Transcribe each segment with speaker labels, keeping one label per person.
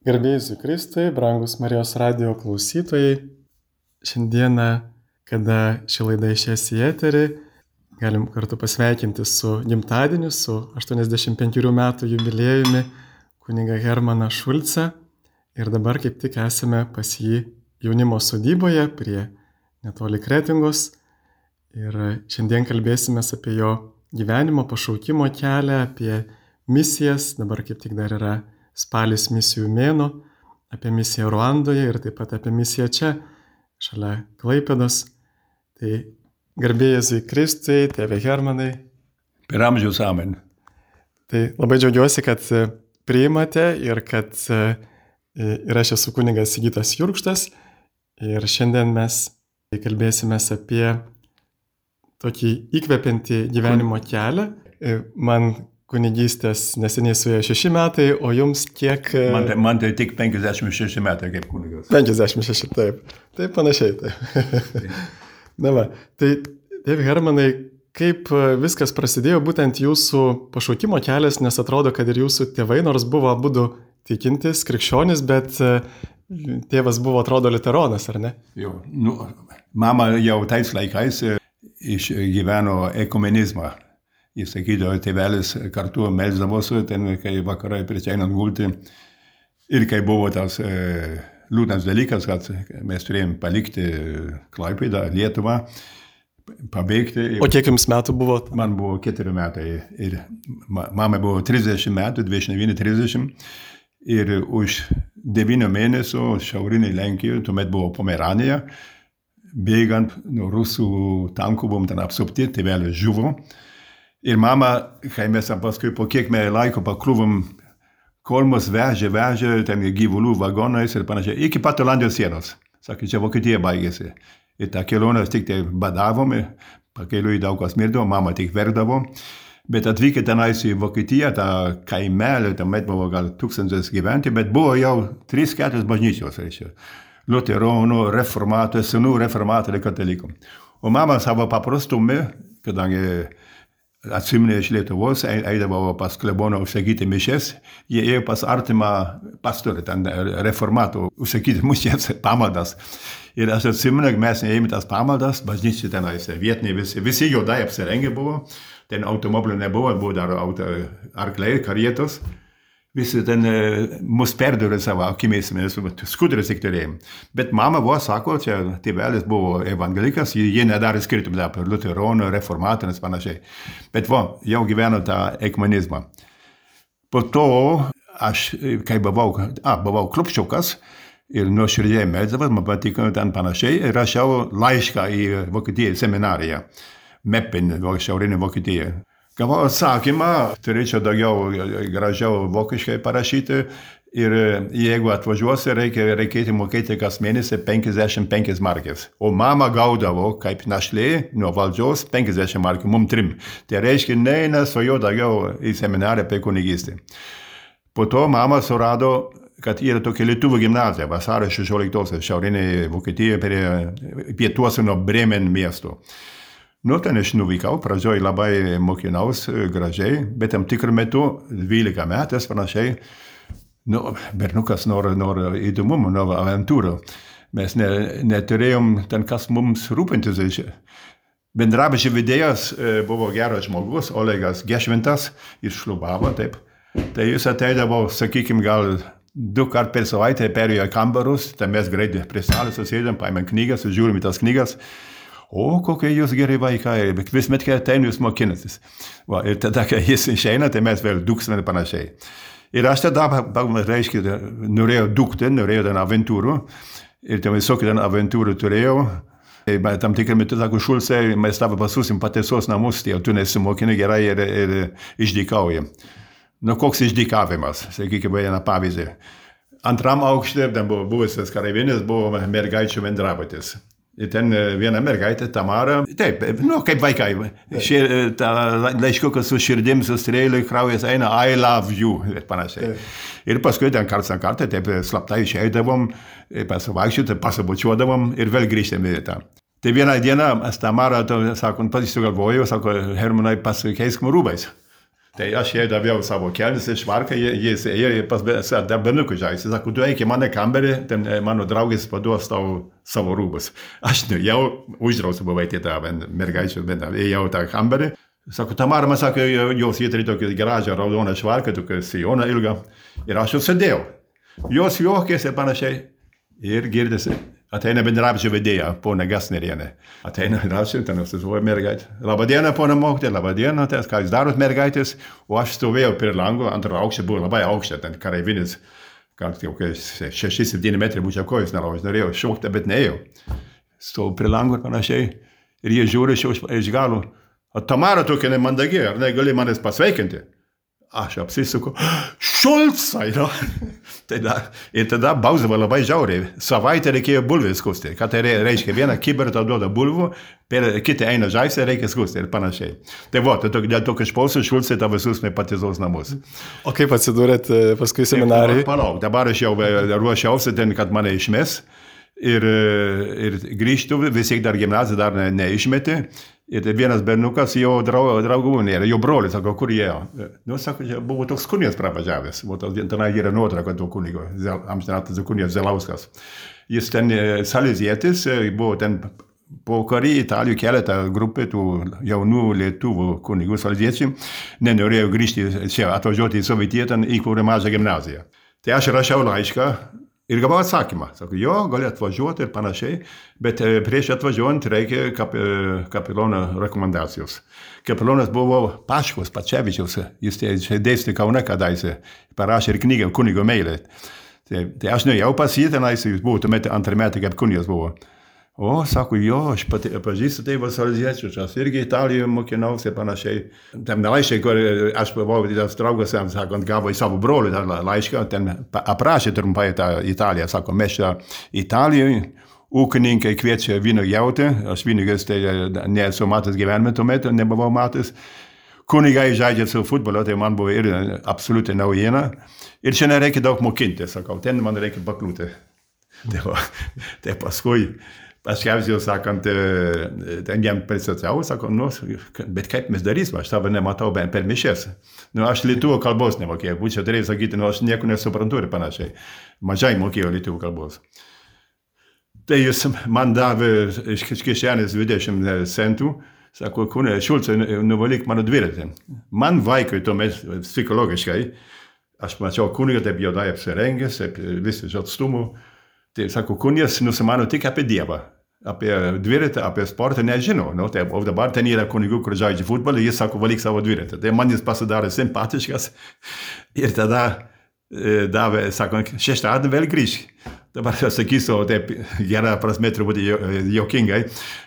Speaker 1: Garbėjai Kristui, brangus Marijos radijo klausytojai, šiandieną, kada ši laida išės į eterį, galim kartu pasveikinti su gimtadieniu, su 85 metų jubiliejumi kunigą Hermaną Šulcą. Ir dabar kaip tik esame pas jį jaunimo sodyboje prie netoli Kretingos. Ir šiandien kalbėsime apie jo gyvenimo, pašaukimo kelią, apie misijas. Dabar kaip tik dar yra spalis misijų mėnuo, apie misiją Ruandoje ir taip pat apie misiją čia, šalia Klaipėdos. Tai garbėjai Kristui, tėve Hermanai.
Speaker 2: Per amžius amen.
Speaker 1: Tai labai džiaugiuosi, kad priimate ir kad ir aš esu kunigas Sigitas Jurkštas. Ir šiandien mes kalbėsime apie tokį įkvepiantį gyvenimo kelią. Man kunigystės neseniai suėjo 6 metai, o jums kiek...
Speaker 2: Man tai tik 56 metai kaip kunigas.
Speaker 1: 56, taip. Taip panašiai. Taip. Na va, tai tėve Hermanai, kaip viskas prasidėjo būtent jūsų pašaukimo kelias, nes atrodo, kad ir jūsų tėvai, nors buvo abudu tikintis, krikščionis, bet tėvas buvo, atrodo, liuteronas, ar ne?
Speaker 2: Jo, mama jau tais laikais išgyveno ekumenizmą. Jis sakydavo, tėvelis kartu melsdavosi, ten, kai vakarai prieš einant gulti. Ir kai buvo tas liūdnas dalykas, kad mes turėjom palikti Klaipėdą, Lietuvą, pabėgti.
Speaker 1: O kiek jums metų buvo?
Speaker 2: Man buvo 4 metai. Ir mama buvo 30 metų, 29-30. Ir už 9 mėnesių šiaurinėje Lenkijoje, tuomet buvo Pomeranija, bėgant nuo rusų tankų, buvom ten apsupti, tėvelis žuvo. Ir mama, kai mes paskui po kiek laiko pakliuvom, kol mus vežė ten gyvulių vagonais ir panašiai, iki pat Olandijos sienos. Sakė, čia Vokietija baigėsi. Ir tą kelionę tik tai badavom, pakeliui daug kas mirdavo, mama tik verkdavo. Bet atvykę tenais į Vokietiją, tą kaimelį, tuomet buvo gal 1000 gyventi, bet buvo jau 3-4 bažnyčios, reiškia. Liuteronų, reformatų, senų reformatų ir katalikų. O mama savo paprastume, kadangi atsimnė iš Lietuvos, eidavo pas kleboną užsakyti mišes, jie ėjo pas artimą pastorį, ten reformatų užsakyti mišes, pamaldas. Ir aš atsimnė, mes ėjome tas pamaldas, bažnyčiai tenais, vietiniai visi juodai apsirengę buvo, ten automobilių nebuvo, buvo dar arkliai, karietos. Visi ten mus perdurė savo akimis, mes skuteris tik turėjom. Bet mama buvo, sako, čia tėvelis buvo evangelikas, jie nedarė skirtumą apie liuteronų, reformatų ir panašiai. Bet jau gyveno tą ekumenizmą. Po to aš, kai buvau klupščiukas ir nuoširdžiai melsdavau, man patiko ten panašiai, ir rašiau laišką į Vokietiją seminariją, Meppen, šiaurinė Vokietija. Gavau atsakymą, turėčiau daugiau gražiau vokiškai parašyti ir jeigu atvažiuosi, reikėtų mokėti kas mėnesį 55 markės. O mama gaudavo kaip našlė nuo valdžios 50 markių, mum 3. Tai reiškia, nesvajo daugiau į seminarą apie kunigystę. Po to mama surado, kad yra tokia lietuvių gimnazija, vasario 16 šiaurinėje Vokietijoje pietuose nuo Bremen miesto. Ten aš nuvykau, pradžioj labai mokinaus gražiai, bet tam tikrų metų, 12 metais panašiai, bernukas nori įdomumų, nori aventūrų. Mes neturėjom ten kas mums rūpintis. Bendrabučio vedėjas buvo geras žmogus, Olegas Gešvintas, jis šlubavo, taip. Tai jis ateidavo, sakykim, gal 2 kartus per savaitę perėjo į kambarus, tai mes greitai prie salės susėdėm, paėmėm knygas, žiūrim į tas knygas. O, kokie jūs gerai vaikai, bet vismet, kai ateina, jūs mokinatės. Ir tada, kai jis išeina, tai mes vėl dūksime ir panašiai. Ir aš tada, reiškia, norėjau dūkti, norėjau ten aventūrų. Ir ten visokių ten aventūrų turėjau. Bet tam tikrą metu, sako, Šulcai, mes tavo pasusim patiesos namus, tai tu nesimokini gerai ir išdykauji. Koks išdykavimas, sakykime, vieną pavyzdį. Antram aukšte, ten buvo buvusias kareivinės, buvo mergaičių bendrabutis. Ir ten viena mergaitė, Tamara, taip, kaip vaikai, laiškiukas su širdim, su strėliui, kraujas eina, I love you, ir panašiai. Ir paskui ten kartą, taip slaptai išeidavom, pasavaikščioti, pasabučiuodavom ir vėl grįžtėm į tą. Tai vieną dieną, Tamara, sako, pats sugalvojo, sako, Hermanai, pasikeisk rūbais. Tai aš jai daviau savo kelnes iš švarką, jis ėjo pas dar berniukų žaisti. Sako, tu eik į mano kambarį, ten mano draugės paduos tau savo rūbus. Aš jau uždrausiu buvau į tą mergaičių, bet ėjau tą kambarį. Sako, Tamara, man sako, jos jie turi tokį gražią raudoną švarką, tokį sijoną ilgą. Ir aš jau sėdėjau. Jos juokės ir panašiai. Ir girdisi. Ateina bendrabučio vedėja, pona Gasnerienė. Ateina bendrabučio, ten susivoja mergaitė. Labadiena, pona mokytoja, labadiena, ką jūs darot mergaitės? O aš stovėjau prie lango, antro aukšte buvo labai aukšte, ten kareivinis, gal 6-7 metrai būčiau kojas nelaužęs, norėjau šokti, bet neėjau. Stovau prie lango ir panašiai. Ir jie žiūri iš galo. O Tamara tokia nemandagi, ar negali manęs pasveikinti? Aš apsisuku, Šulcai, no? Ir tada bausdavo labai žiauriai. Savaitę reikėjo bulvės skusti. Ką tai reiškia? Vieną kiberą tau duoda bulvų, kitą eina žaisti, reikia skusti ir panašiai. Tai dėl to, kad išpausų Šulcai tą visus nepatizos namus.
Speaker 1: O kaip atsidūrėt paskui seminarai?
Speaker 2: Palauk, dabar aš jau ruošiausi ten, kad mane išmes. Ir grįžtų, vis tiek dar gimnaziją dar neišmetė. Ir vienas berniukas jo draugų nėra, jo brolis, sako, kur jie? Nu, sako, buvo toks kunigas pravažiavęs, tenai yra nuotrauka to kunigo, amžinatas kunigas Zelauskas. Jis ten salezietis, buvo ten po karį Italijų keletą grupė tų jaunų lietuvų kunigų saleziečių, nenorėjo grįžti čia, atvažiuoti į Sovietiją, ten įkūrė mažą gimnaziją. Tai aš rašiau laišką. Ir gavau atsakymą. Sako, jo, gali atvažiuoti ir panašiai, bet prieš atvažiuojant reikia kapelono rekomendacijos. Kapelonas buvo Paškos Pačevičiaus, jis dėstė Kaune kadaise, parašė ir knygą kunigo meilė. Tai aš nuėjau pas jį tenais, jis buvo tuomet antrą metą, kaip kunigas buvo. O, sako, jo, aš pažįstu tėvą saleziečius, aš irgi Italijoje mokinausi ir panašiai. Tam laiškai, kur aš buvau, tas draugas, sakant, gavo į savo brolį tą laišką, ten aprašė trumpai tą Italiją. Sako, mes čia Italijoje, ūkininkai kviečia vyno jauti, aš vynigas tai nesu matęs gyvenime tuomet, nebuvau matęs. Kunigai žaidžia su futbolu, tai man buvo ir absoliučiai naujiena. Ir čia nereikia daug mokinti, sakau, ten man reikia pakliūti. Tai paskui. Paskiausiai, sakant, ten jam pristačiau, sako, nu, bet kaip mes darysim, aš tavo nematau per mišes. Nu, aš lietuvų kalbos nemokėjau, būčiau turėjau sakyti, nu, aš nieko nesuprantu ir panašiai. Mažai mokėjau lietuvų kalbos. Tai jis man davė iš kišenės 20 centų, sako, kūnė, Šulcai, nuvalyk mano dviratį. Man vaikui tuomet psichologiškai, aš mačiau kūnigą, taip juodai apsirengęs, vis iš atstumų. Tai sako, kunigas nusimano tik apie Dievą, apie dviratį, apie sportą nežino. Nu, tai, o dabar ten yra kunigų, kur žaidžia futbolą, jis sako, valyk savo dviratį. Tai man jis pasidarė simpatiškas ir tada davė, sako, šeštadienį vėl grįžk. Dabar aš sakysiu, taip gera prasme truputį juokingai,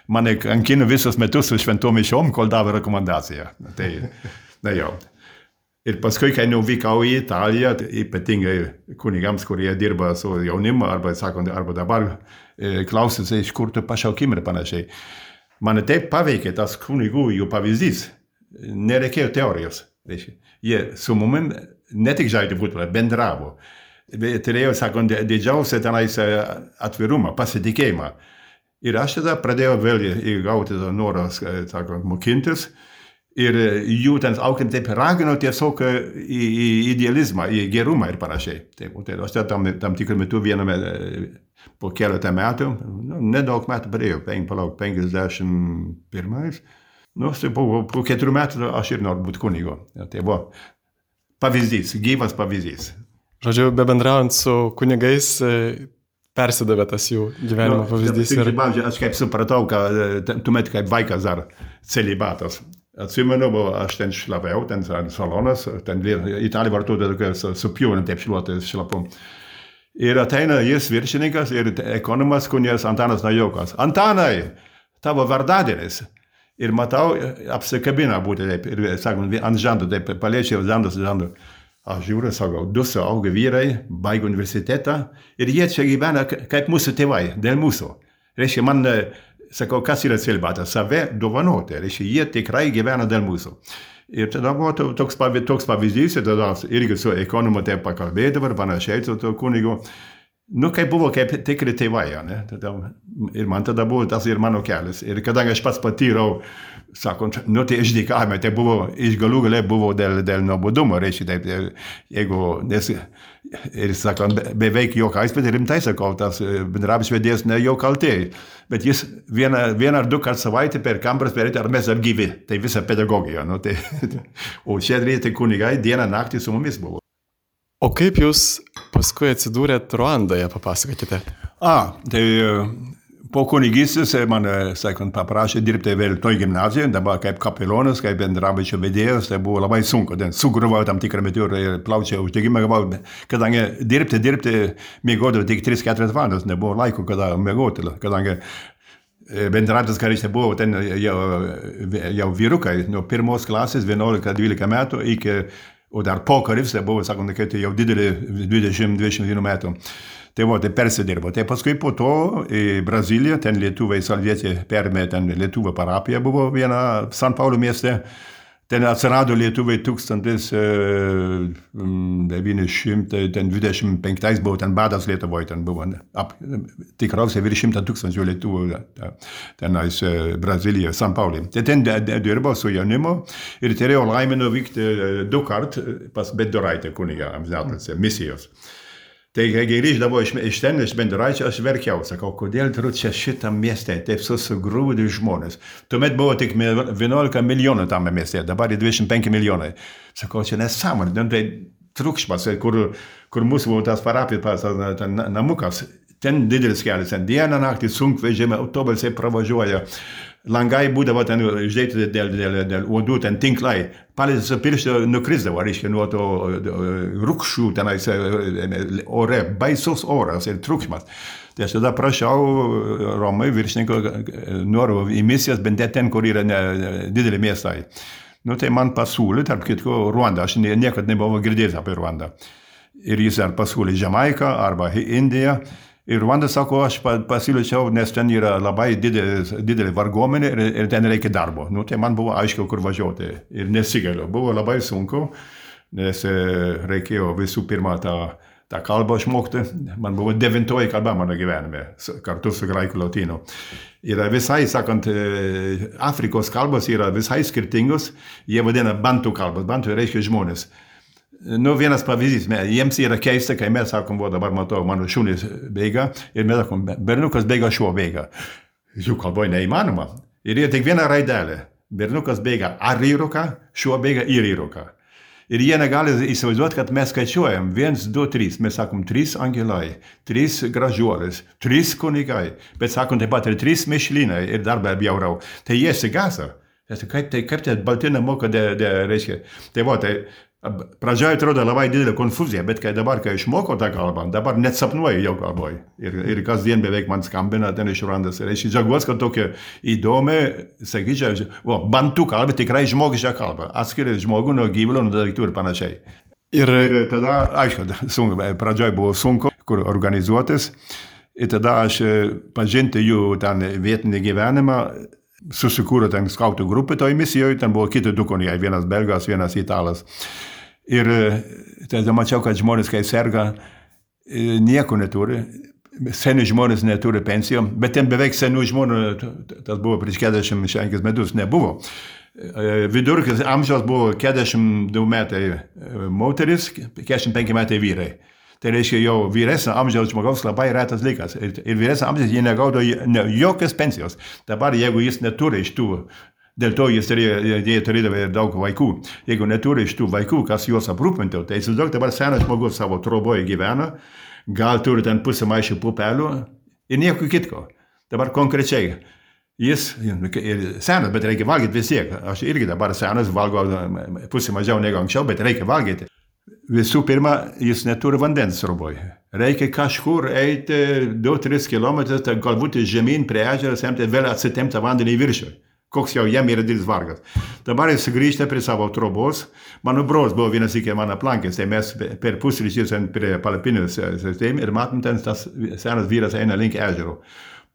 Speaker 2: mane kankino visus metus su šventom mišiom, kol davė rekomendaciją. Tai, na jau. Ir paskui, kai nuvykau į Italiją, ypatingai kunigams, kurie dirba su jaunimu, arba dabar klausysi, iš kur tu pašaukimai ir panašiai. Mane taip paveikė tas kunigų jų pavyzdys. Nereikėjo teorijos. Jie su mumim ne tik žaidė futbolą, bendravo. Turėjo, sakant, didžiausią tenais atvirumą, pasitikėjimą. Ir aš tada pradėjau vėl įgauti tą norą, sakant, mokintis. Ir jų ten auklint taip ragino tiesiog į idealizmą, į gerumą ir panašiai. Taip, tai aš tam tikrų metų viename po keletą metų, nedaug metų pradėjau, 51. Nu, tai po 4 metų aš ir noriu būti kunigu. Tai buvo pavyzdys, gyvas pavyzdys.
Speaker 1: Žodžiu, bebendraujant su kunigais, persidavė tas jų gyvenimo pavyzdys.
Speaker 2: Aš kaip supratau, kad tuomet kaip vaikas dar celibatas. Atsimenu, aš ten šlapiau, ten salonas, ten Italija vartoja tokia su pjūvėm, taip šlapom. Ir ateina jis viršininkas ir ekonomas kunigas Antanas Najokas. Antanai, tavo vardadienis. Ir matau, apsikabina būti taip, ir sakant, ant žandų, taip paliečiau žandų. Aš žiūriu, sakau, 2 suaugę vyrai, baigė universitetą ir jie čia gyvena kaip mūsų tėvai, dėl mūsų. Reiškia, man, sakau, kas yra celibatas? Save dovanoti, reiškia, jie tikrai gyvena dėl mūsų. Ir tada buvo toks pavyzdys, ir tada irgi su ekonomu taip pakalbėdavo ir panašiai su to kunigu. Nu, kaip buvo, kaip tikri tėvai, ne? Ir man tada buvo tas ir mano kelias. Ir kadangi aš pats patyrau, sakant, nu, tai išdykavime, tai buvo, iš galų gale buvo dėl nuobodumo, reiškia, taip, jeigu, nes, ir sakant, beveik juokais, bet rimtai sakau, tas bendrabis vedėjas ne jo kaltė, bet jis vieną ar du kart savaitę per kameras perėti, ar mes dar gyvi, tai visa pedagogija, nu, tai, o čia reikia kunigai dieną naktį su mumis buvo.
Speaker 1: O kaip jūs paskui atsidūrėt Ruandoje, papasakokite?
Speaker 2: Tai po kunigystės man, sakant, paprašė dirbti vėl toj gimnazijoje, dabar kaip kapelonas, kaip bendrabučio vedėjas, tai buvo labai sunku, sugriuvau tam tikrą metu ir plaučių uždegimą gavau, kadangi dirbti, miegodavau tik 3-4 valandas, nebuvo laiko, kada miegoti, kadangi bendratis karys buvo ten jau vyrukai, nuo pirmos klasės, 11-12 metų iki o dar pokaris, tai buvo, sakant, kad jau didelį 20-21 metų. Tai buvo, tai persidirbo. Tai paskui po to į Braziliją, ten lietuviai salvietė perėmė, ten lietuvų parapija buvo viena San Paulo mieste. Ten atsirado lietuviai 1925 buvo, ten badas Lietuvoje, ten buvo tikriausiai virš 100 000 lietuvų tenais Brazilijoje, San Paulo. Tai ten dirbo su jaunimu ir turėjo laimę nuvykti 2 kart pas Bedoraitę kunigą amžinatilsį, misijos. Tai kai grįždavo iš ten, iš Bendoraičio, aš verkiau, sakau, kodėl turiu čia šitam mieste, taip susigrūdė žmonės. Tuomet buvo tik 11 milijonų tame mieste, dabar 25 milijonai. Sakau, čia nesąmonė, tai triukšmas, kur mūsų buvo tas parapijos namukas, ten didelis kelias, ten dieną naktį sunkvežimai, autobusai pravažiuoja. Langai būdavo ten išdėti dėl uodų, ten tinklai. Palėtis pirštį nukrisdavo, reiškia, nuo to rūkščių tenais ore, baisus oras ir triukšmas. Tai aš tada prašiau Romai viršininko, noriu į misijas, bent ten, kur yra dideli miestai. Nu, tai man pasiūlė, tarp kitko, Ruanda. Aš niekad nebuvau girdėjęs apie Ruandą. Ir jis ar pasiūlė Jamaiką arba Indiją. Ir Ruanda sako, aš pasiūlyčiau, nes ten yra labai didelė varguomenė ir ten reikia darbo. Nu, tai man buvo aiškiau, kur važiuoti ir nesigaliu. Buvo labai sunku, nes reikėjo visų pirma tą kalbą išmokti. Man buvo 9 kalba mano gyvenime, kartu su graikų lotynų. Yra visai, sakant, Afrikos kalbos yra visai skirtingos. Jie vadina bantų kalbos. Bantų reiškia žmonės. Nu, vienas pavyzdys, jiems yra keista, kai mes sakom, dabar matau, mano šunys bėga, ir mes sakom, berniukas bėga, šuo bėga. Jų kalboje neįmanoma. Ir jie tik vieną raidelę. Berniukas bėga ar įruką, šuo bėga ir įruką. Ir jie negali įsivaizduoti, kad mes skaičiuojam 1, 2, 3. Mes sakom 3 angelai, 3 gražuolės, 3 kunigai. Bet sakom taip pat ir 3 mišlynai ir dar be bjaurau. Tai jie sigasa. Kaip tai baltina moka, reiškia. Tai va, tai pradžioje atrodo labai didelė konfuzija, bet kai išmoko tą kalbą, dabar net sapnuoju jau kalboj. Ir kasdien beveik man skambina ten iš Ruandos. Ir aš džiaugiuosi, kad tokia įdomi, sakyčiau, bantų kalba, tikrai žmogiška kalba. Atskiria žmogų nuo gyvulio, nuo daiktų ir panašiai. Ir tada, aišku, pradžioje buvo sunku, kur organizuotis. Ir tada aš pažinti jų ten vietinį gyvenimą, susikūrė ten skautų grupė toj misijoje, ten buvo kiti 2 kunigai, vienas belgas, vienas italas. Ir tada mačiau, kad žmonės, kai serga, nieko neturi, seni žmonės neturi pensijų, bet ten beveik senų žmonių, tas buvo prieš 45 metus, nebuvo. Vidurkis amžiaus buvo 42 metai moteris, 45 metai vyrai. Tai reiškia, jau vyresnio amžiaus žmogaus labai retas dalykas. Ir vyresnio amžiaus jie negaudo jokios pensijos. Dabar, jeigu jis neturi iš tų, dėl to jie turėdavo daug vaikų. Jeigu neturi iš tų vaikų, kas juos aprūpintų, tai įsivaizduok, dabar senas žmogus savo troboje gyvena, gal turi ten pusę maišų pupelių ir nieko kitko. Dabar konkrečiai. Jis senas, bet reikia valgyti vis tiek. Aš irgi dabar senas, valgo pusę mažiau negu anksčiau, bet reikia valgyti. Visų pirma, jis neturi vandens sriuboje. Reikia kažkur eiti 2-3 kilometrus, galbūt žemyn prie ežero, semti vėl atsitempti vandenį į viršų. Koks jau jam yra didelis vargas. Dabar jis grįžta prie savo trobos. Mano brolis buvo vienas iki mano aplankęs, tai mes per pusryčius prie palapinės ir matom, ten tas senas vyras eina link ežero.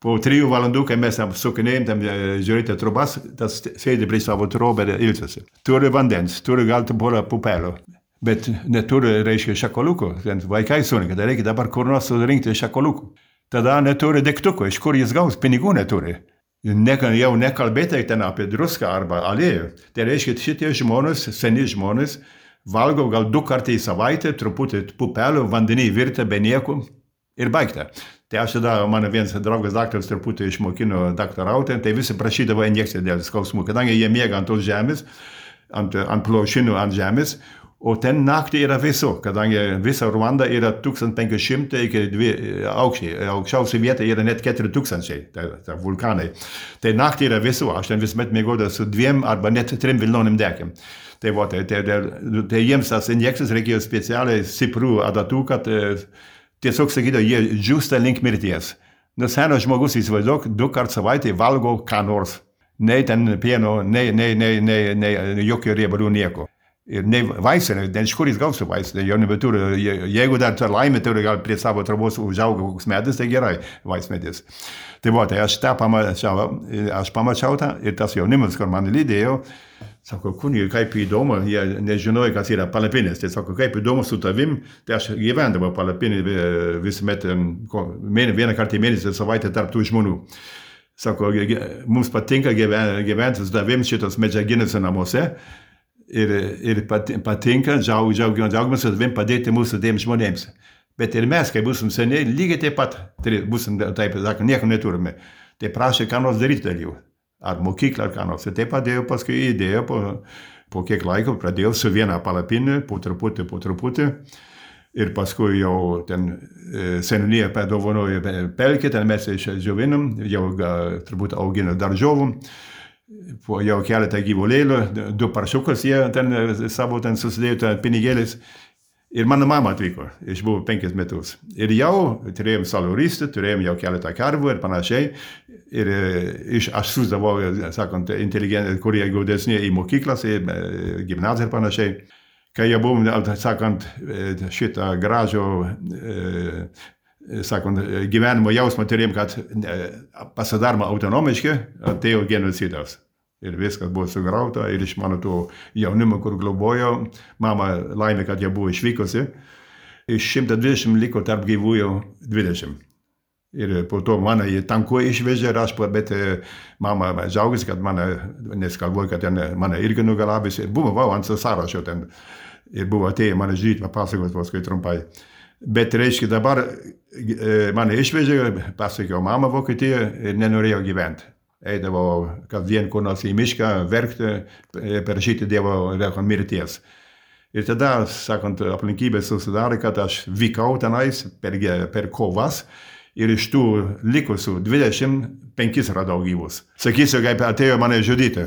Speaker 2: Po 3 valandų, kai mes sukinėjom, tam žiūrėti trobas, tas sėdi prie savo trobą ir ilsisi. Turi vandens, turi gal porą pupelių. bet neturi, reiškia, šakoliukų. Vaikai surinka, tai reikia dabar kur nors surinkti šakoliukų. Tada neturi degtuko, iš kur jis gaus, pinigų neturi. Jau nekalbėtai ten apie druską arba aliejų. Tai reiškia, šitie žmonės, seni žmonės, valgo gal 2 kartai į savaitę, truputį pupelių, vandenį virtą be nieko ir baigta. Tai aš tada, mano vienas draugas daktaras truputį išmokino daktarauti, tai visi prašydavo injekciją dėl skausmų, kadangi jie miega ant tos žemės, ant plaušinų ant žemės, o ten naktį yra vėsu, kadangi visa Ruanda yra 1500 iki 2 aukščiai, aukščiausia vieta yra net 4000, tai vulkanai. Tai naktį yra vėsu, aš ten visuomet mėgodavau su 2 arba net 3 vilnonim dekim. Tai jiems tas injekcijas reikėjo specialiai stiprių adatų, kad tiesiog sakydavo, jie džiūsta link mirties. Senas žmogus įsivaizduok, 2 kartus savaitę valgo ką nors. Nei ten pieno, nei jokio riebalų nieko. Ir nei vaistai, iš kur jis gausi vaistai, jau nebeturi. Jeigu dar laimė turi, gal prie savo trobos užauga koks medis, tai gerai, vaismedis. Tai aš tą pamačiau tą ir tas jaunimas, kur man lydėjo, sako, kunigai, kaip įdomu, jie nežinojo, kas yra palapinės. Tai sako, kaip įdomu su tavim, tai aš gyvendavau palapinį visuomet, 1 kartą į mėnesį savaitę tarp tų žmonių. Sako, mums patinka gyventi su tavim šitos medžiaginėse namuose ir patinka, džiaugiamės su tavim padėti mūsų tiems žmonėms. Bet ir mes, kai būsim seniai, lygiai taip pat, būsim, taip sakant, nieko neturime. Tai prašė, ką nors daryti dėl jų. Ar mokyklą, ar ką nors. Ir taip padėjau, paskui įdėjau, po kiek laiko pradėjau su viena palapinė, po truputį. Ir paskui jau ten seniūnija padovanojo pelkę, ten mes išdžiovinom, jau turbūt augino daržovų. Jau keletą gyvulėlių, 2 paršiukus jie ten savo ten susidėjo pinigėlis. Ir mano mama atvyko, išbuvo 5 metus. Ir jau turėjom saluristą, turėjom jau keletą karvų ir panašiai. Ir aš siųsdavau, sakant, inteligentai, kurie gaudesni į mokyklas, į gimnaziją ir panašiai. Kai jau buvom, sakant, šitą gražų, sakant, gyvenimo jausmą turėjom, kad pasidaroma autonomiškai, atėjo genocidas. Ir viskas buvo sugrauta ir iš mano to jaunimo, kur globojau, mama laimė, kad jie buvo išvykusi. Iš 120 liko tarp gyvųjų 20. Ir po to mane į tanku išvežė ir aš, bet mama džiaugiasi, kad mane, nes galvoju, kad mane irgi nugalabys. Ir buvau ant sąrašo ten. Ir buvo atėję mane žydyti, papasakos paskui trumpai. Bet reiškia dabar mane išvežė, pasakiau mama Vokietijoje ir nenorėjau gyventi. Eidavo kasdien kur nors į mišką, verkti, prašyti Dievo mirties. Ir tada, sakant, aplinkybės susidarė, kad aš vykau tenais per kovas ir iš tų likusių 25 radau gyvus. Sakysiu, kaip atėjo mane žudyti.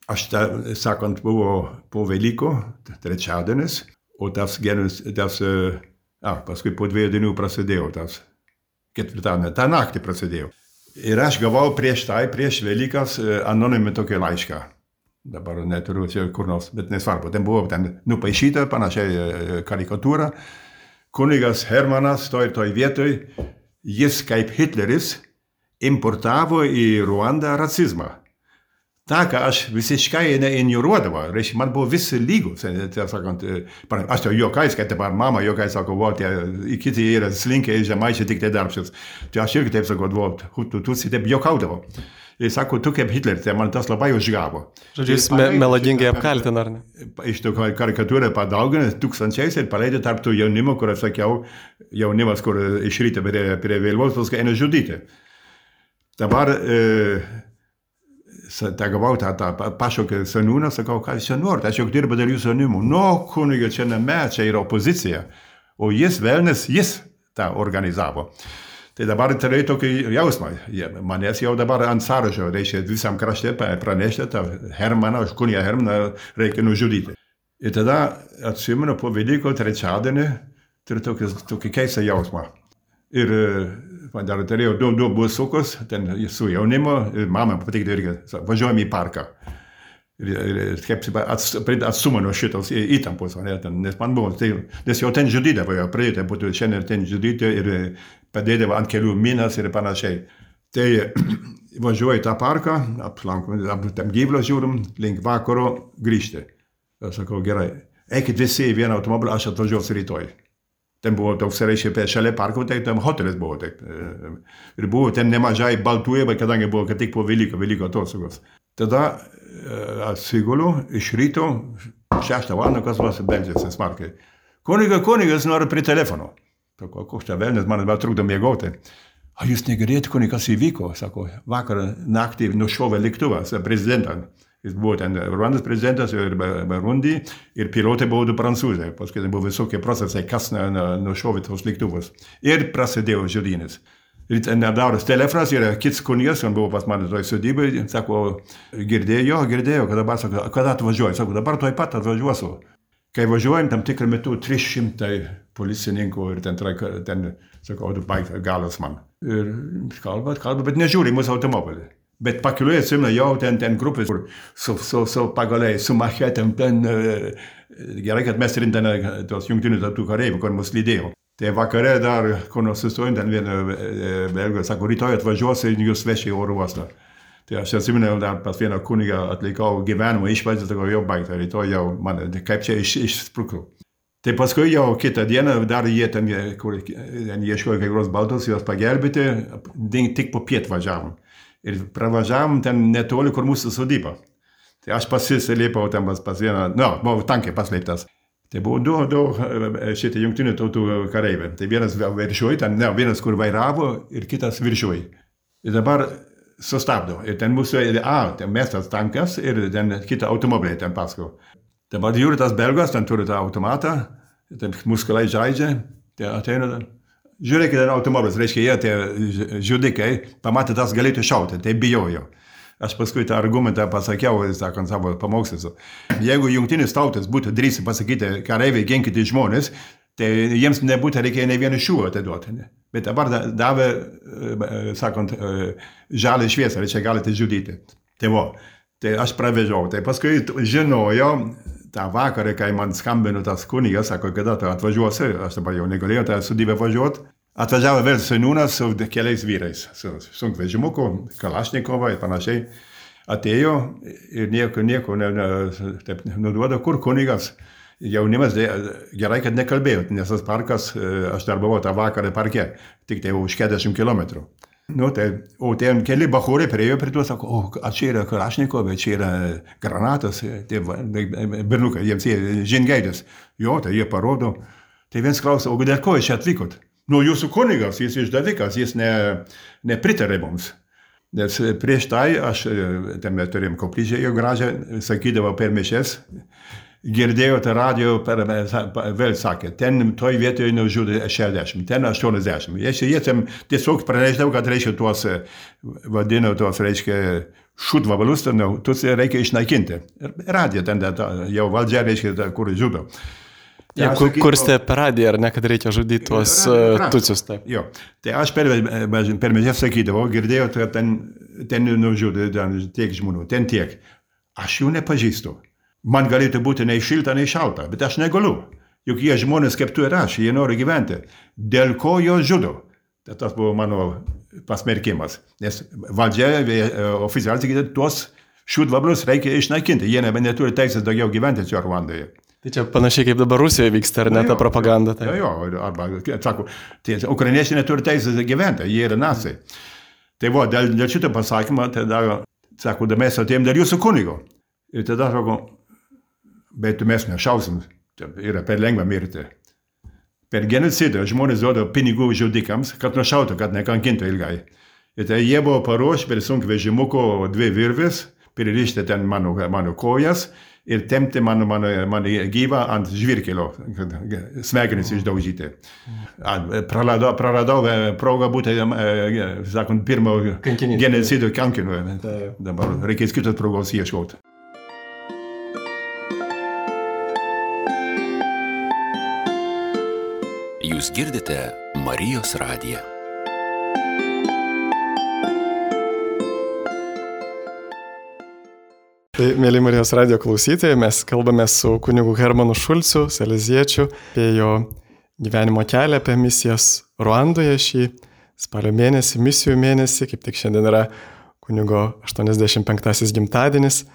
Speaker 2: Aš, sakant, buvo po Velykų, trečiadienis, o paskui po 2 dienų prasidėjo tas ketvirtadienį, tą naktį prasidėjo. Ir aš gavau prieš Velykas anonimį tokį laišką. Dabar neturiu čia kur nors, bet nesvarbu. Ten buvo nupaišyta panašiai karikatūra. Kunigas Hermanas toj vietoj, jis kaip Hitleris importavo į Ruandą rasizmą. Ta, ką aš visiškai neignoruodavau, reiškia, man buvo visi lygus. Aš jau juokais, kad dabar mama juokais sako, kiti yra slinkiai žemaičiai tik tai darbščius. Tai aš irgi taip sakau, tu taip juokaudavau. Ir sako, tu kaip Hitleris, tai man tas labai užgavo.
Speaker 1: Žodžiu, jis melagingai apkaltina, ar ne?
Speaker 2: Iš to karikatūrą padaugino tūkstančiais ir paleidė tarp tų jaunimo, kur aš sakiau, jaunimas, kur iš ryto prie vėliavos, paskui eina žudyti. Dabar gavau tą pašaukę seniūną, sakau, ką jūs čia norite, aš jau dirbu dėl jūsų jaunimų. Kuniga, čia čia yra opozicija. O jis, velnis, jis tą organizavo. Tai dabar turėjau tokį jausmą. Manęs jau dabar ant sąrašo, reiškia visam krašte pranešti tą Hermaną, kunigą Hermaną reikia nužudyti. Ir tada atsimenu po Velykų trečiadienį turiu tokį keistą jausmą. Ir man dar turėjau 2 busukus, ten su jaunimu, ir mama patikti irgi, važiuojam į parką. Ir kaip atstumą nuo šitos įtampos, nes man buvo, nes jau ten žudydavo, jau pradėti būtų šiandien ten žudyti ir padėdavo ant kelių minas ir panašiai. Tai važiuoju į tą parką, aplankom, tam gyvulio žiūrim, link vakaro grįžti. Aš sakau, gerai. eikit visi į vieną automobilį, aš atvažiuosiu rytoj. Ten buvo toks, reiškia, šalia parko, tai tam hotelis buvo. Taip. Ir buvo ten nemažai baltųjų, bet kadangi buvo, kad tik po Velykų atostogos. Tada atsiguliu iš ryto, 6 valandą, kas vas beldžiasi smarkiai. Kunigas nori prie telefono. Sako, koks čia velnis, man trukdo miegoti. A jūs negirdėjote, kas įvyko? Sako, vakar naktį nušovė lėktuvas prezidentą. Jis buvo ten Ruandos prezidentas ir Burundi ir pilotai buvo 2 prancūzai. Paskui buvo visokie procesai, kas nušovė tos lėktuvus. Ir prasidėjo žudynės. Ir nedauras telefonas ir kits kunigas, on buvo pas mane toj sodybai, sako, girdėjo, kad dabar, sako, kada atvažiuoju? Sako, dabar toj pat atvažiuosiu. Kai važiuojam, tam tikrą metu 300 policininkų ir ten sako, baig galas man. Ir kalba, bet nežiūri mūsų automobilį. Bet pakeliui atsimena jau ten grupės, kur su pagaliai, su machetėm, ten gerai, kad mes turim ten tos jungtinių tautų kareivių, kur mus lydėjo. Tai vakare dar, kur nors sustojant, ten viena belga, sako, rytoj atvažiuosiu ir jūs veši į oro uostą. Tai aš atsimenu, dar pas vieną kunigą atlikau gyvenimą išvaizdą, tai jau baigta, rytoj jau man, kaip čia išsprukau. Tai paskui jau kitą dieną dar jie ten ieškojo kai kurios baltos, juos pagelbėti, tik po piet važiavom. Ir pravažiavom ten netoli, kur mūsų sodyba. Tai aš pasislėpiau ten pas vieną, buvau tankiai paslėptas. Tai buvo du šitie jungtinių tautų kareiviai. Tai vienas viršuoj, vienas kur vairavo ir kitas viršuoj. Ir dabar sustabdo. Ir ten mūsų, ten mestas tankas ir ten kitą automobilį ten paskui. Dabar žiūri tas belgas, ten turi tą automatą, ten muskulai žaidžia, tai ateina. Žiūrėkite, automobilis, reiškia, jie tie žudikai, pamatė tas galėtų šauti, tai bijojo. Aš paskui tą argumentą pasakiau, sakant savo pamokslus. Jeigu jungtinis tautas būtų drįsti pasakyti, kareiviai ginkite žmonės, tai jiems nebūtų reikėjo ne vieną šūvį atiduoti. Bet dabar davė, sakant, žalią šviesą, reiškia, galite žudyti. Tai aš pravežiau. Tai paskui žinojau, tą vakarą, kai man skambino tas kunigas, sako, kada tu atvažiuosi, aš dabar jau negalėjau tą sodybę važiuoti. Atvažiavo vėl seniūnas su keliais vyrais, su sunkvežimuku, Kalašnikovą ir panašiai. Atėjo ir nieko nuduoda, kur kunigas. Jaunimas gerai, kad nekalbėjo, nes tas parkas, aš dar buvau tą vakarą parke, tik tai už 40 kilometrų. O ten keli bachūrai priejo prie to, sako, čia yra Kalašnikovai, čia yra granatas, tie bernukai, jiems jie žingeidės. Jo, tai jie parodo. Tai viens klausia, o dėl ko jūs čia atvykot? Jūsų kunigas, jis išdavikas, jis nepritarė mums. Nes prieš tai aš, ten mes turėjom koplyčią gražią, sakydavo per mišias, girdėjau tą radio, vėl sakė, ten toj vietoje nužudė 60, ten 80. Jie tiesiog pranešdavo, kad reiškia tuos, vadino tuos, reiškia, šūdvabalus, tuos reikia išnaikinti. Radija ten jau valdžia, reiškia, kur žudo.
Speaker 3: Kursite per radiją, ar ne, kad reikia žudyti tuos tucius. Taip.
Speaker 2: Jo, tai aš per mišias sakydavau, girdėjau, kad ten nužudė tiek žmonių, ten tiek. Aš jų nepažįstu. Man galėtų būti nei šilta, nei šalta, bet aš negaliu. Juk jie žmonės kaip tu ir aš, jie nori gyventi. Dėl ko jo žudo? Tas buvo mano pasmerkimas. Nes valdžia oficialiai sakyti, tuos šūdvablius reikia išnaikinti. Jie neturi teisės daugiau gyventi čia Ruandoje.
Speaker 3: Tai čia panašiai kaip dabar Rusijoje vyksta, ar ne, ta propaganda? Tai.
Speaker 2: Jo, arba, sako, ukrainiečiai neturi teisės gyventi, jie yra naciai. Tai dėl šito pasakymą, tada, sako, mes atėjom dėl jūsų kunigo. Ir tada sako, bet mes nešausim, yra per lengva mirti. Per genocidą žmonės duoda pinigų žudikams, kad nušautų, kad nekankintų ilgai. Ir tai jie buvo paruošę per sunkvežimuko 2 virvės, pririšti ten mano kojas ir tempti mano gyvą ant žvyrkelio, smegenis išdaužyti. Praradau progą būti, sakant, pirmo genocido kankiniu. Dabar reikės kitos progos ieškoti.
Speaker 4: Jūs girdite Marijos radiją.
Speaker 1: Tai, mėly Marijos radijo klausytojai, mes kalbame su kunigu Hermanu Šulcu, saleziečiu, apie jo gyvenimo kelią, apie misijas Ruandoje šį spalio mėnesį, misijų mėnesį, kaip tik šiandien yra kunigo 85 gimtadienis.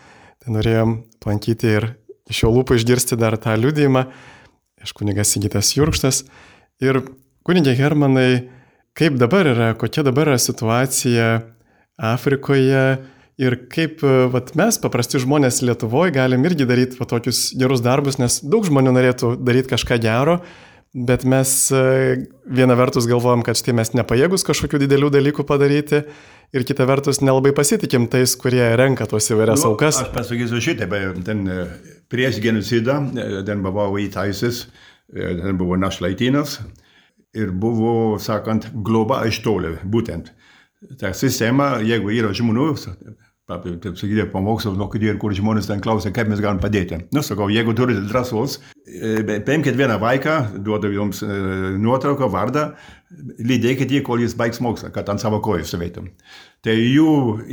Speaker 1: Tai norėjom aplankyti ir iš jo lūpų išgirsti dar tą liudijimą iš kunigas Sigitas Jurkštas. Ir kunigė Hermanai, kaip dabar yra, kokia dabar yra situacija Afrikoje ir kaip mes, paprasti žmonės Lietuvoje, galim irgi daryti tokius gerus darbus, nes daug žmonių norėtų daryti kažką gero, bet mes viena vertus galvojam, kad štai mes nepajėgus kažkokių didelių dalykų padaryti ir kita vertus nelabai pasitikim tais, kurie renka tuos įvairias aukas.
Speaker 2: Aš pasakysiu šitą, ten prieš genocidą, ten buvo įtaisis, ten buvo našlaitynas ir buvo, sakant, globa iš toli, būtent. Ta sistema, jeigu yra žmonių, taip sakyti, pamokslas, kur žmonės ten klausia, kaip mes galim padėti. Sakau, jeigu turite drąsos, paimkite vieną vaiką, duodu jums nuotrauką, vardą, lydėkite jį, kol jis baigs mokslą, kad ant savo kojų stovėtų. Tai jų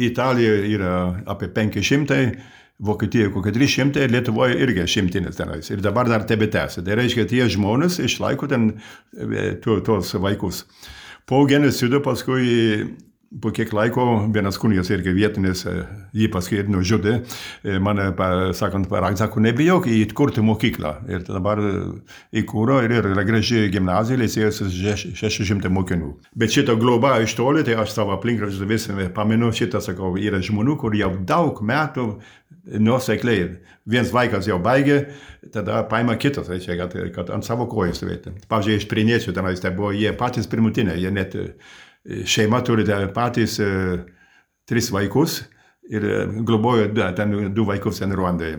Speaker 2: Italijoje yra apie 500, Vokietijoje kokie 300, Lietuvoje irgi 100 tenais. Ir dabar dar tebetęsia. Tai reiškia, tie žmonės išlaiko ten tuos vaikus. Po genocido paskui po kiek laiko vienas kunigas irgi vietinis, jį paskui ir nužudė, mane, sakant, sako, nebijok įkurti mokyklą. Ir dabar įkūro ir yra graži gimnazija, licėjus 600 mokinių. Bet šitą globą iš toli, tai aš savo aplinkraštį vis pamenu, šitą, sakau, yra žmonių, kur jau daug metų nuosekliai. Vienas vaikas jau baigė, tada paima kitas, kad ant savo kojų stovėti. Pavyzdžiui, iš Priniečių tenais, tai buvo jie patys pirmutiniai, jie net šeima turi patys 3 vaikus ir globojo ten 2 vaikus ten Ruandoje.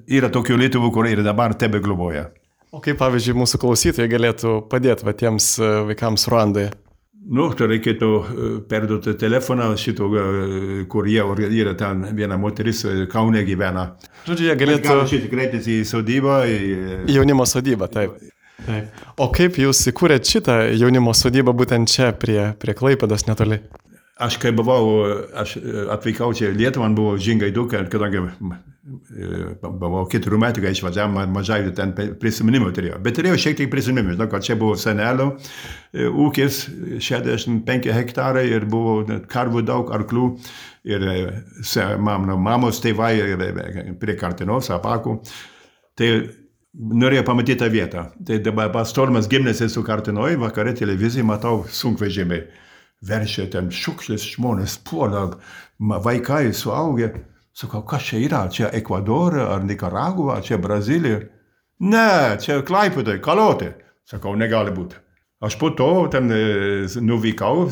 Speaker 2: Yra tokių Lietuvų, kur ir dabar tebe globoja.
Speaker 1: O kaip, pavyzdžiui, mūsų klausytojai galėtų padėti tiems vaikams Ruandoje?
Speaker 2: Tai reikėtų perduoti telefoną šito, kur jie yra ten viena moteris Kaune gyvena.
Speaker 1: Žodžiu, jie galėtų...
Speaker 2: Gali kreiptis į sodybą.
Speaker 1: Į jaunimo sodybą, taip. Taip. O kaip jūs įkūrėt šitą jaunimo sodybą būtent čia, prie Klaipėdos netoli?
Speaker 2: Aš kai aš atvykau čia Lietuvą, man buvo žingaidu, kadangi buvau 4 metų, kai išvažiavau, mažai ten prisiminimų turėjau. Bet turėjau šiek tiek prisiminimų, kad čia buvo senelio ūkis, 65 hektarai ir buvo karvų daug, arklių ir mamos tėvai prie Kartinos, Apakų. Tai norėjau pamatyti tą vietą. Tai dabar pastormas gimnėsi su Kartinoj, vakare televizijai matau sunkvežimiai. Veršia ten šiukšlės žmonės, puola, vaikai suaugę. Sakau, kas čia yra? Čia Ekvadorą, ar Nikaragva, čia Brazilija? Ne, čia Klaipėdoj, Kalotė. Sakau, negali būti. Aš po to ten nuvykau.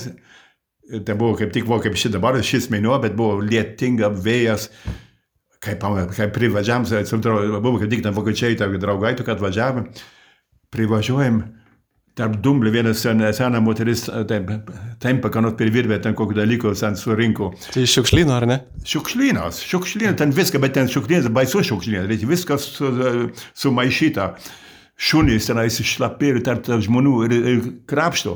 Speaker 2: Tai buvo kaip tik kaip dabar, šis mėnuo, bet buvo lietinga vėjas. Kai privažiavam, buvo kaip tik ten vokiečiai, draugai, kad atvažiavam, privažiuojam, tarp dumblių vienas sena moteris, tempia, ką nors per virvę, ten kokį dalyką ten surinko.
Speaker 1: Tai šiukšlyno, ar ne?
Speaker 2: Šiukšlynas, ten viską, bet ten šiukšlynas, baisus šiukšlynas, reikia viskas sumaišyta. Šunys tenais išlapi ir tarp žmonių ir krapšto.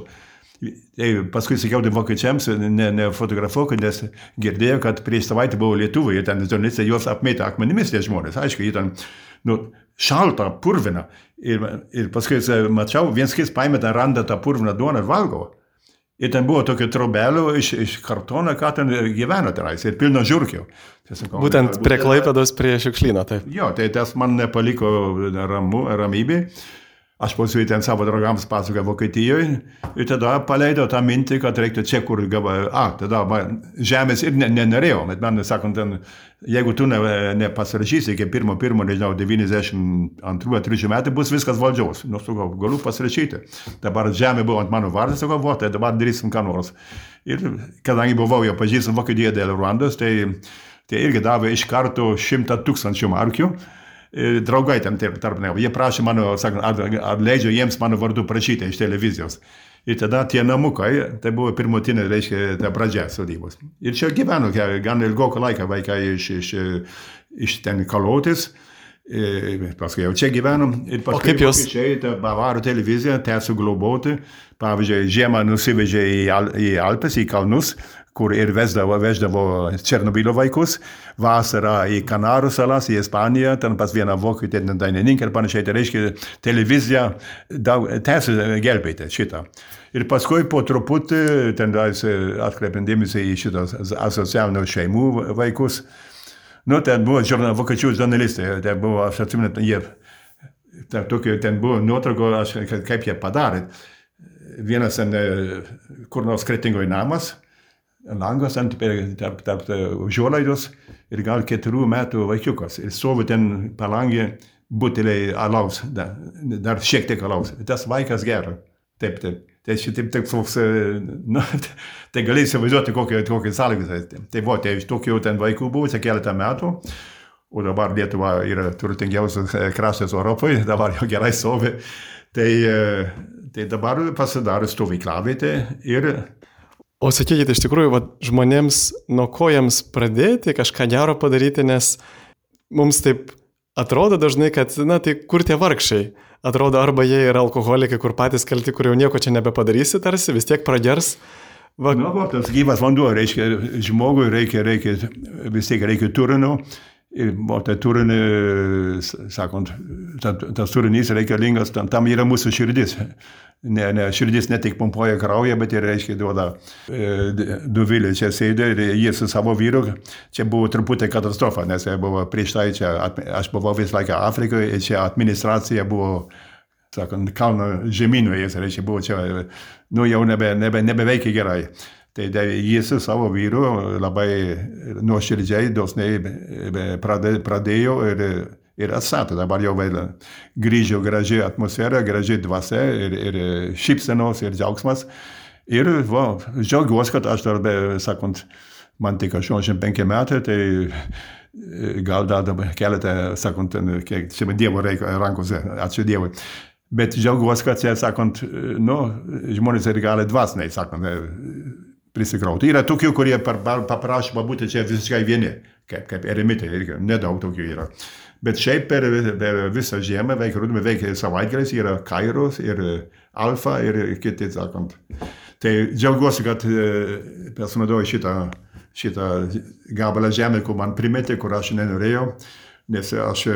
Speaker 2: Paskui sakiau vokiečiams, nefotografuok, nes girdėjau, kad prieš savaitę buvo Lietuvoje, ten žurnalistai juos apmėtė akmenimis tie žmonės. Aišku, jie ten šalta, purvina. Ir paskui mačiau, viens kis paėmė ten randą tą purviną duoną ir valgo. Ir ten buvo tokio trobelio iš kartono, ką ten gyveno tenais, ir pilno žiurkių.
Speaker 1: Būtent prie Klaipėdos, prie šiukšlyno, taip.
Speaker 2: Jo, tai tas man nepaliko ramybė. Aš paskui ten savo draugams pasakoju Vokietijoje ir tada paleidau tą mintį, kad reiktų čia, kur tada žemės ir nenorėjau, bet man sakant, jeigu tu nepasirašysi iki 1.1.92-3 metų, bus viskas valdžiaus. Sakau, galiu pasirašyti. Dabar žemė buvo ant mano vardas, sakau, tai dabar darysim ką nors. Ir kadangi buvau jau pažįstam Vokietijoje dėl Ruandos, tai irgi davė iš karto 100,000 markių. Draugai ten tarp ne. Jie prašė mano, sakant, ar leidžia jiems mano vardu prašyti iš televizijos. Ir tada tie namukai, tai buvo pirmutinė, reiškia, ta pradžia sodybos. Ir čia gyveno gan ilgoką laiką vaikai iš ten Kalotės. Paskui jau čia gyvenom. Ir paskui čia ta Bavarų televizija tęsiu globoti. Pavyzdžiui, žiemą nusivežė į Alpes, į kalnus, kur ir veždavo Černobylio vaikus, vasarą į Kanarų salas, į Ispaniją, ten pas vieną vokietį, dainininką ir panašiai, tai reiškia, televizija tęsia gelbėti šitą. Ir paskui po truputį, ten atkreipiant dėmesį į šitos asocialinių šeimų vaikus, Nu, ten buvo vokiečių žurnalistai, ten buvo, aš atsimenu, ten buvo nuotrauko, kaip jie padarė. Vienas kur nors Kretingoj namas, langas tarp užuolaidos ir gal 4 metų vaikiukas. Ir stovi ten palangė buteliai alaus, dar šiek tiek alaus. Tas vaikas geria. Taip. Tai šitaip toks, tai gali įsivaizduoti kokie sąlygas. Tai buvo, tai iš tokių ten vaikų buvo, čia keletą metų, o dabar Lietuva yra turtingiausias kraštas Europoje, dabar jau gerai stovi. Tai dabar pasidarė stovyklavietė ir...
Speaker 1: O sakykite, iš tikrųjų, žmonėms nuo ko jiems pradėti kažką gero padaryti, nes mums taip atrodo dažnai, kad, tai kur tie vargšai? Atrodo, arba jie yra alkoholikai, kur patys kalti, kur jau nieko čia nebepadarysi, tarsi, vis tiek pradėrs.
Speaker 2: Tas gyvas vanduo, reiškia, žmogui vis tiek reikia turinio. Ir tai turinį, sakant, tas turinys reikalingas, tam yra mūsų širdis. Širdis ne tik pumpuoja kraują, bet ir, reiškia, duoda Dovilė čia sėdė ir jie su savo vyru. Čia buvo truputį katastrofa, nes buvo prieš tai čia, aš buvau visą laiką Afrikoje ir čia administracija buvo, sakant, kalno žemynoje, reiškia, buvo čia, jau nebeveikia gerai. Tai jis su savo vyru labai nuoširdžiai, dosniai pradėjo ir atstatė. Dabar jau grįžo graži atmosfera, graži dvasia ir šypsenos ir džiaugsmas. Ir džiaugiuosi, kad aš dar, sakant, man tik 85 metai, tai gal dar keletą, sakant, kiek čia Dievo rankose, ačiū Dievui. Bet džiaugiuosi, kad, sakant, žmonės ir gali dvasiniai, sakant, prisikrauti. Yra tokių, kurie paprašo būti čia visiškai vieni, kaip eremitai, nedaug tokių yra. Bet šiaip per visą žiemą, veikia savaitgaliais, yra Kairos ir Alfa ir kiti, sakant. Tai džiaugiuosi, kad pasinaudoju šitą gabalą žemę, kur man primetė, kur aš nenorėjau, nes aš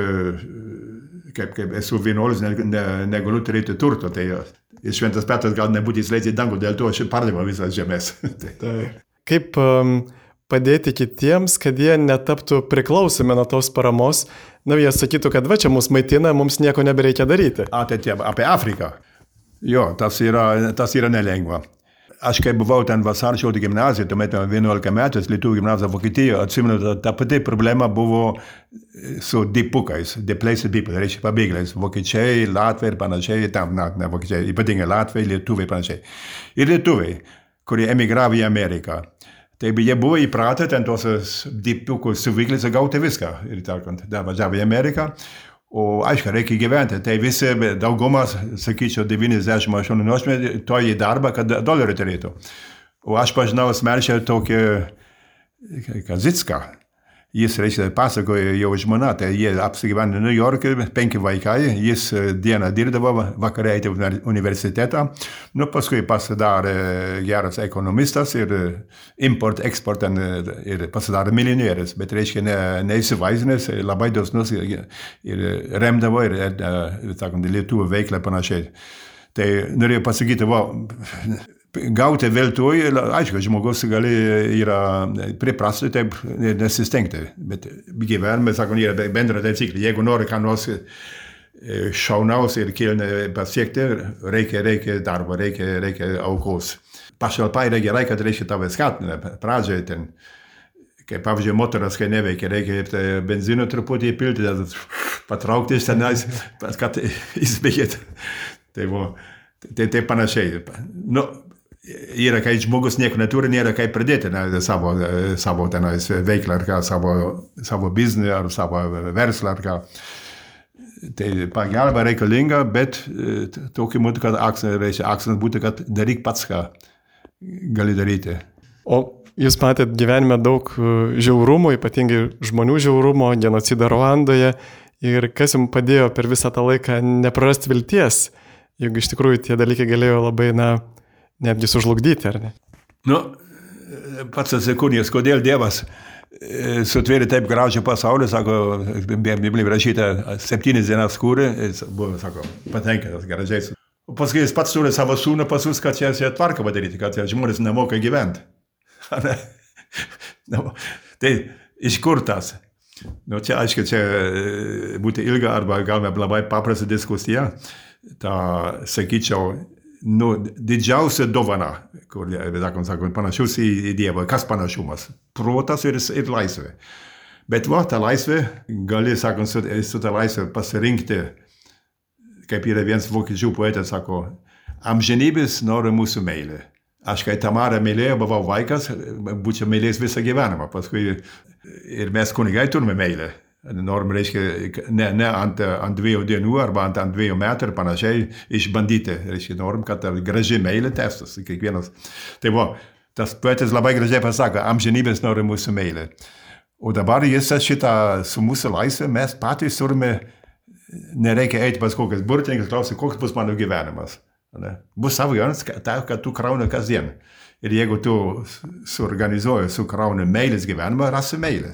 Speaker 2: kaip esu vienuolis, negaliu turėti turto. Tai Šventas Petras gal nebūtų įsileidęs į dangų, dėl to aš pardaviau visas žemės.
Speaker 1: Kaip padėti kitiems, kad jie netaptų priklausomi nuo tos paramos? Jie sakytų, kad čia mus maitina, mums nieko nebereikia daryti.
Speaker 2: Tai apie Afriką. Jo, tas yra nelengva. Aš kai buvau ten Vasarščio gimnazijoje, tuomet 11 metais, Lietuvių gimnazija Vokietijoje, atsimenu, ta pati problema buvo su dipukais, displaced people, reiškia pabėgėliais, vokiečiai, latviai ir panašiai, ne vokiečiai, ypatingai latviai, lietuviai ir panašiai. Ir lietuviai, kurie emigravo į Ameriką. Tai jie buvo įpratę ten tos dipukus suvyklėse gauti viską. Ir važiavo į Ameriką. O aišku, reikia gyventi. Tai visi, daugumas, sakyčiau, 98 to į darbą, kad dolerį turėtų. O aš pažinau asmeniškai tokį Kazicką. Jis, reiškia, pasakojo jau žmona, tai jie apsigyveno New York'e, 5 vaikai, jis dieną dirbdavo, vakarą eiti į universitetą. Paskui pasidarė geras ekonomistas ir import-eksport ir pasidarė milijonierius, bet reiškia neįsivaizdinęs, labai dosnus ir remdavo ir sakant, lietuvių veiklą panašiai. Tai norėjau pasakyti, gauti veltui, aišku, žmogus gali priprasti, taip nesistengti, bet gyvenime, sakant, yra bendra taisyklė. Jeigu nori ką nors šaunaus ir kilniai pasiekti, reikia darbo, reikia aukos. Pašalpa yra gerai, kad reikia tave skatina. Pradžioje ten, kaip pavyzdžiui, motoras, kai neveikia, reikia benzino truputį įpilti, patraukti iš tenais, kad įspėkėt. Tai panašiai. Yra, kai žmogus nieko neturi, nėra kaip pradėti savo tenais veiklą, ar ką, savo biznį, ar savo verslą, ar ką. Tai pagalba reikalinga, bet tokiu būdu, kad akcentas būtų, kad daryk pats, ką gali daryti.
Speaker 1: O jūs matėt gyvenime daug žiaurumo, ypatingai žmonių žiaurumo, genocidą Ruandoje. Ir kas jums padėjo per visą tą laiką neprarasti vilties, juk iš tikrųjų tie dalykai galėjo labai, netgi sužlugdyti, ar ne?
Speaker 2: Pats atsikūnijas, kodėl Dievas sutvėrė taip gražią pasaulį, sako, Biblijoje rašyta 7 dienas kūrė, jis buvo, sako, patenkintas gražiais. O paskui jis pats turi savo sūnų pasiūs, kad čia tvarką padaryti, kad žmonės nemoka gyventi. Tai iš kur tas? Nu, čia, aišku, čia būtų ilga arba gal labai paprasta diskusija. Ta, sakyčiau, nu, didžiausia dovana, kur, sakant, panašus į Dievą. Kas panašumas? Protas ir laisvė. Bet va, ta laisvė, gali, sakant, su ta laisvė pasirinkti, kaip yra vienas vokiečių poetas, sako, amžinybės nori mūsų meilė. Aš, kai Tamarą mylėjau, buvau vaikas, būčiau mylėjęs visą gyvenimą. Paskui ir mes kunigai turime meilę. Norim, reiškia, ne ant 2 dienų arba ant 2 metų ir panašiai išbandyti. Reiškia, norim, kad graži meilė tęstųsi kiekvienas. Tai va, tas poetas labai gražiai pasako, amžinybės nori mūsų meilė. O dabar jis šitą su mūsų laisvė, mes patys turime, nereikia eiti pas kokias burtininkas, klausti, koks bus mano gyvenimas. Ne? Bus savo gyvenimas, kad tu krauni kasdien. Ir jeigu tu suorganizuoji, sukrauni meilės gyvenimą, rasi meilę.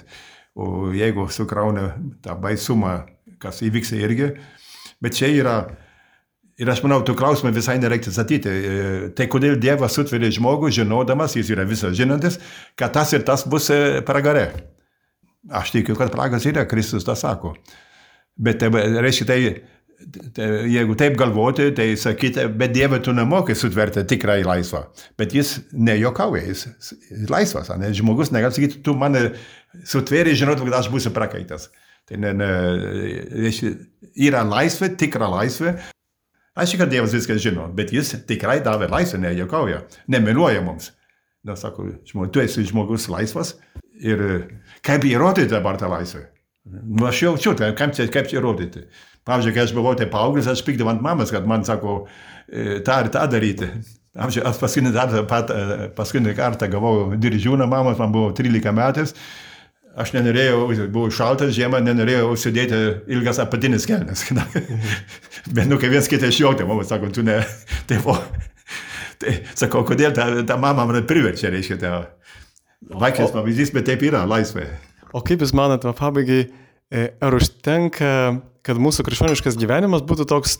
Speaker 2: O jeigu sukrauni tą baisumą, kas įvyks irgi. Bet čia yra, ir aš manau, tų klausimų visai nereikia statyti. Tai kodėl Dievas sutveria žmogų, žinodamas, jis yra visas žinantis, kad tas ir tas bus pragare. Aš tikiu, kad pragas yra, Kristus tą sako. Bet reiškia, jeigu taip galvoti, tai sakyti, bet Dieve tu nemokai sutverti tikrai laisvą. Bet jis nejokauja, jis laisvas. Ne? Žmogus negali sakyti, tu mane sutveri, žinot, kad aš būsiu prakaitas. Tai yra laisvė, tikra laisvė. Aš kad Dievas viską žino, bet jis tikrai davė laisvę, nejokauja, nemeluoja mums. Na, sako, tu esi žmogus laisvas ir kaip įrodyti dabar tą laisvę? Nu, aš jaučiu, kaip čia įrodyti. Pavyzdžiui, kai aš buvau tai paauglis, aš pykdavau ant mamas, kad man sako, tą ir tą daryti. Aš paskutinį kartą gavau dirižiūną mamos, man buvo 13 metais. Aš nenorėjau, buvo šaltas žiemą, nenorėjau užsidėti ilgas apatinis kelnes. Bet nu, kai viens kitą išjautė, mama sako, tu ne, tai buvo. Tai sakau, kodėl ta mama man priverčia, reiškia, tai vaikas pavyzdys, bet taip yra, laisvė.
Speaker 1: O kaip jūs manat, pabaigai, ar užtenka, kad mūsų krikščioniškas gyvenimas būtų toks,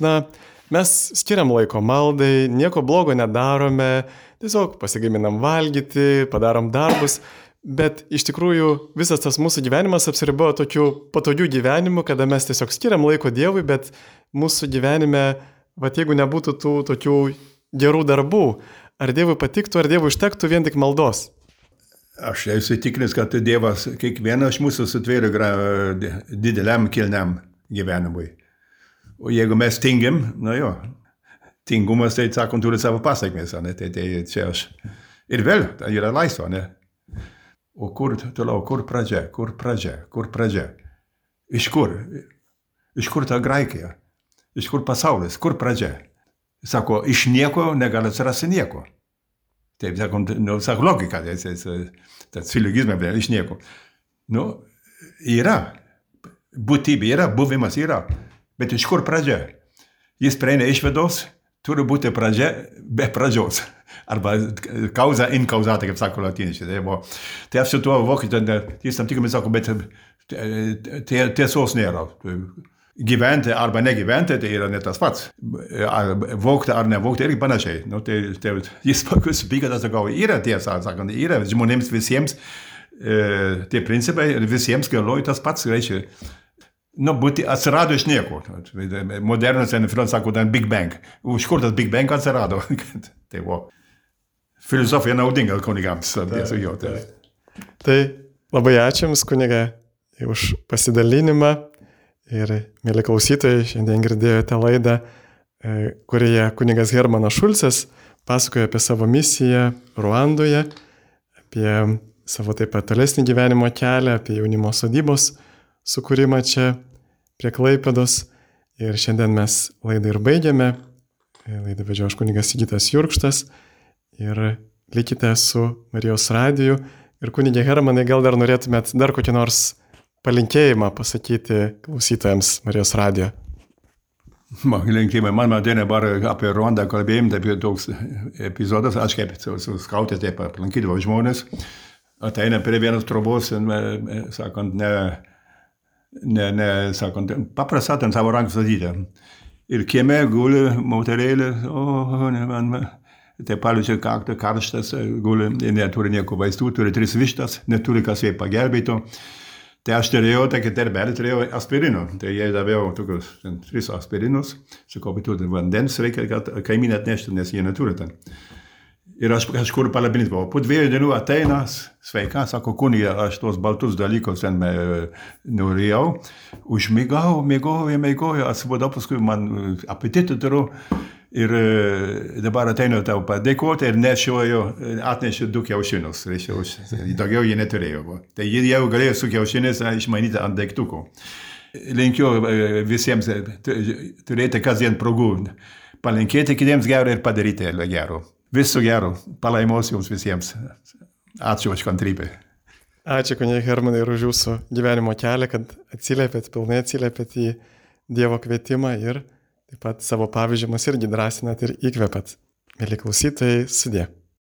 Speaker 1: mes skiriam laiko maldai, nieko blogo nedarome, tiesiog pasigaminam valgyti, padarom darbus, bet iš tikrųjų visas tas mūsų gyvenimas apsiribojo tokiu patogiu gyvenimu, kada mes tiesiog skiriam laiko Dievui, bet mūsų gyvenime, jeigu nebūtų tų tokių gerų darbų, ar Dievui patiktų, ar Dievui užtektų vien tik maldos?
Speaker 2: Aš esu įsitikinęs, kad Dievas kiekvieną iš mūsų sutvėrė dideliam kilniam gyvenimui. O jeigu mes tingim, tingumas, tai sakant, turi savo pasakmės, ne? Tai čia aš. Ir vėl, tai yra laisva, ne? O kur toliau, kur pradžia? Iš kur? Iš kur ta Graikija? Iš kur pasaulis? Kur pradžia? Sako, iš nieko negali atsirasti nieko. Taip, sako logika, tas silogizmas, iš nieko. Yra, būtybė yra, buvimas yra, bet iš kur pradžia? Jis prieina išvedos, turi būti pradžia be pradžios. Arba causa in causata, kaip sako latiniškai. Tai aš su tuo vokiečiu, jis tam tikrai sako, bet tiesos nėra. Gyventi arba negyventi, tai yra ne tas pats. Vogti ar nevogti irgi panašiai. Tai jis paskui supyka, tas sakau, yra tiesa, sakant, yra žmonėms visiems tie principai ir visiems galioja tas pats, reiškia. Būti atsirado iš nieko. Modernus filosofas sako, Big Bang. Iš kur tas Big Bang atsirado? Tai buvo filosofija naudinga kunigams.
Speaker 1: Tai labai ačiū Jums, kuniga, už pasidalinimą. Ir, mėly klausytojai, šiandien girdėjote laidą, kurioje kunigas Hermanas Šulcas pasakoja apie savo misiją Ruandoje, apie savo taip pat tolesnį gyvenimo kelią, apie jaunimo sodybos sukūrimą čia prie Klaipėdos. Ir šiandien mes laidą ir baigiame. Laidą vedžiau aš kunigas Sigitas Jurkštas. Ir likite su Marijos radiju. Ir kunigė Hermanai, gal dar norėtumėt dar kokį nors palinkėjimą pasakyti klausytojams Marijos radijo.
Speaker 2: Linkėjimai. Man dabar apie Ruandą kalbėjim, apie toks epizodas, aš kaip su skautė taip aplankydavau žmonės, ateina prie vienos trobos, sakant, sakant, paprasta ten savo ranką sadyti. Ir kieme guli moterėlė, tai paliečia kaktą, karštas, guli, neturi nieko vaistų, turi 3 vištas, neturi kas jai pagelbėtų. Tai aš turėjau, tokį terbelį, turėjau aspirino. Tai jie davėjo tokius 3 aspirinus. Sakau, bet tu vandens reikia, kad kaimynė atneštų, nes jie neturi ten. Ir aš kažkur palabinit buvau. Po 2 dienų ateina, sveika, sako, kunigė, aš tos baltus dalykus ten norėjau. Mėgojau, atsibodau, paskui man apetitą turiu. Ir dabar ateinu tau padėkoti ir atnešiu 2 kiaušinius. Daugiau jie neturėjo. Tai jie jau galėjo su kiaušiniais išmanyti ant daiktukų. Linkiu visiems turėti kasdien progų. Palinkėti kitiems gero ir padaryti gero. Viso gero. Palaimos jums visiems. Ačiū už kantrybę.
Speaker 1: Ačiū, kunigė Hermanai, ir už jūsų gyvenimo kelią, kad pilnai atsiliepėt į Dievo kvietimą ir taip pat savo pavyzdžius irgi drąsinat ir įkvepiat. Mieli klausytojai, sudie.